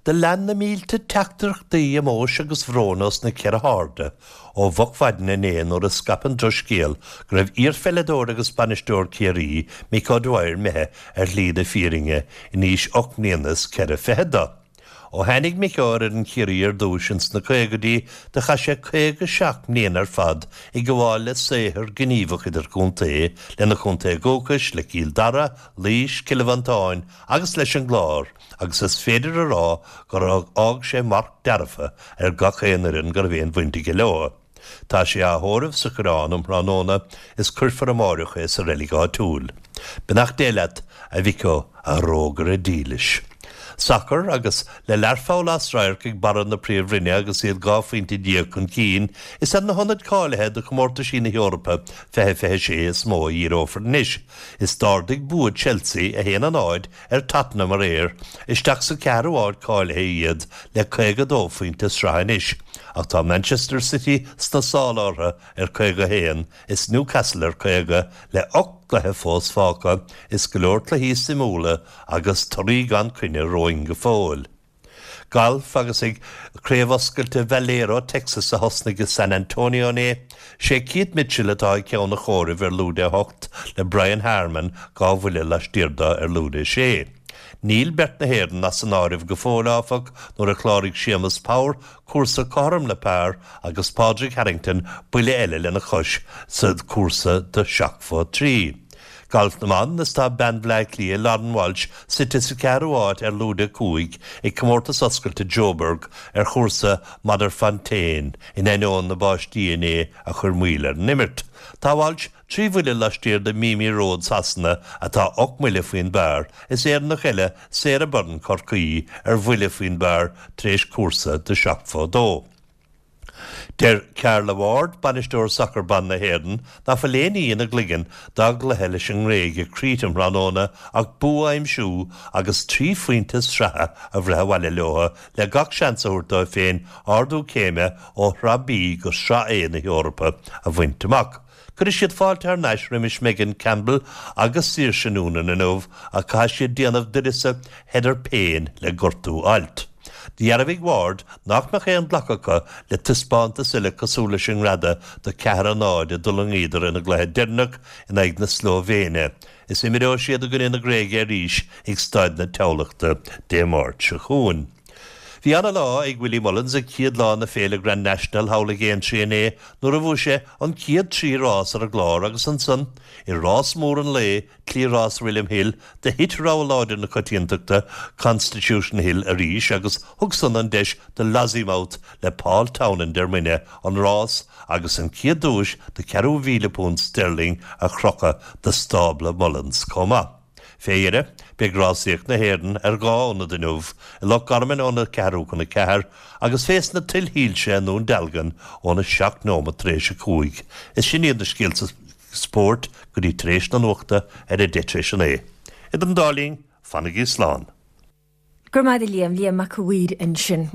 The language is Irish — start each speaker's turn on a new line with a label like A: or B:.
A: Do lean na mílte teachtaireachtaí omóis agus bhróin ós na ceithre hairde ó mhoch mhaidin inné nuair a scaip an drochscéal go raibh iarpheileadóir agus bainisteoir Ciarraí, Mick O'Dwyer imithe ar shlí na fírinne in aois 8 mbliana is ceithre fichead dó. Ó tháinig Micko ar fhoireann Chiarraí ar dtúis ins na caogaidí do chaith sé 57 mbliana ar fad ag gabháil le saothar gníomhach idirchontae lena chontae dhúchais, le Cill Dara, Laois, Cill Mhantáin agus leis an gClár agus is féidir a rá gur fhág sé marc dearfa ar gach aon fhoireann go raibh aon bhaint aige leo. Tá sé á thórramh sa Choireán um thráthnóna is cuirfear amáireach é sa reilig áitiúil. Beannacht Dé leat, a Mhicko, a thrógaire dílis. Sacar agus le Learpholl as radharc ag barra na Príomhroinne agus iad 12 phointe chun cinn, is ar na hionaid cáilithe do chomórtaisí na hEorpa 2026 is mó a dhíreofar anois. Is d'ardaigh bua Chelsea, 1-0, ar Tottenham aréir, isteach sa ceathrú áit cáilithe iad le 52 phointe sraithe anois, ach tá Manchester City sna sála orthu ar 51 is Newcastle ar 50 le 8 gcluiche fós fágtha is go leor cluichí suimiúla agus torthaí gan coinne romhainn go fóill. Galf agus ag Craobh Oscailte Valero Texas a thosnaigh i San Antonio inné, sé Keith Mitchell atá ag ceann an chomhairimh ar lúide 8 le Brian Harman 2 bhuille laistiar dó ar lúide 6. Níl beirt na hÉireann as an áireamh go fóill áfach nuair a chláraigh Séamus Power cúrsa cothrom le par agus Pádraig Harrington buille eile lena chois sa chúrsa de 7 fo 3. Galf na mBan, is tá bean Bhleá Cliath, Lauren Walsh, suite sa cheathrú háit ar lúide 5 ag Comórtas Oscailte Joburg ar chúrsa Modderfontein in ainneoin na báistí inné a chuir moill ar an imirt. Tá Walsh trí bhuille laistiar de Mimi Rhodes Shasana atá 8 mbuille faoin bpar, is Éireannach eile, Sarah Byrne Chorcaí, ar bhuille faoin bpar tar éis cúrsa de 7 fo 2. Deir Carla Ward, bainisteoir sacair ban na hÉireann, nach bhfuil aon ní ina gcloigeann dá gcluiche leis an nGréig i Crete um thráthnóna ach bua a aimsiú agus trí phointe sraithe a bhreith abhaile leo le gach seans a thabhairt dóibh féin ardú céime ó Shraith B go Sraith A na hEorpa a bhaint amach. Cuirfidh siad fáilte thar n-ais roimis Megan Campbell agus Saoirse Noonan inniu ach caithfidh siad déanamh d'uireasa Heather Payne le gortú ailt. Dhearbhaigh Ward nach mbeadh aon ghlacadh acu le taispeántas eile cosúil leis an ngreadadh de 4-0 a d'fhulaingíodar ina gcluiche deireanach in aghaidh na Slóivéine is imreoidh siad i gcoinne na Gréige arís ag Staid na Thamhlachta Dé Máirt seo chugainn. Bhí ana-lá ag Willie Mullins ag céad lá na féile Grand National thall ag Aintree inné nuair a bhuaigh sé an chéad trí rás ar an gclár agus ansan i rás mór an lae, Cliathrás William Hill, do thit rogha láidir na coitiantachta, Constitution Hill, arís agus thug san an deis do Lossiemouth le Paul Townend ar muine an rás agus an chéad duais de £4,000 sterling a chrochadh do stábla Mullins chomh maith. Fé dheireadh, beidh rásaíocht na hÉireann ar dhá ionad inniu, i Loch Garman óna ceathrú chun a ceathair agus fés na tuilshoilse i nDún Dealgan óna seacht nóimeat tar éis a cúig. Is sin iad na scéalta spóirt go dtí tar éis na nuachta ar a deich tar éis a naoi. Idir an dá linn, fanaigí slán.
B: Go raibh maith agat a Liam, Liam Mac a' Mhaoir ansin.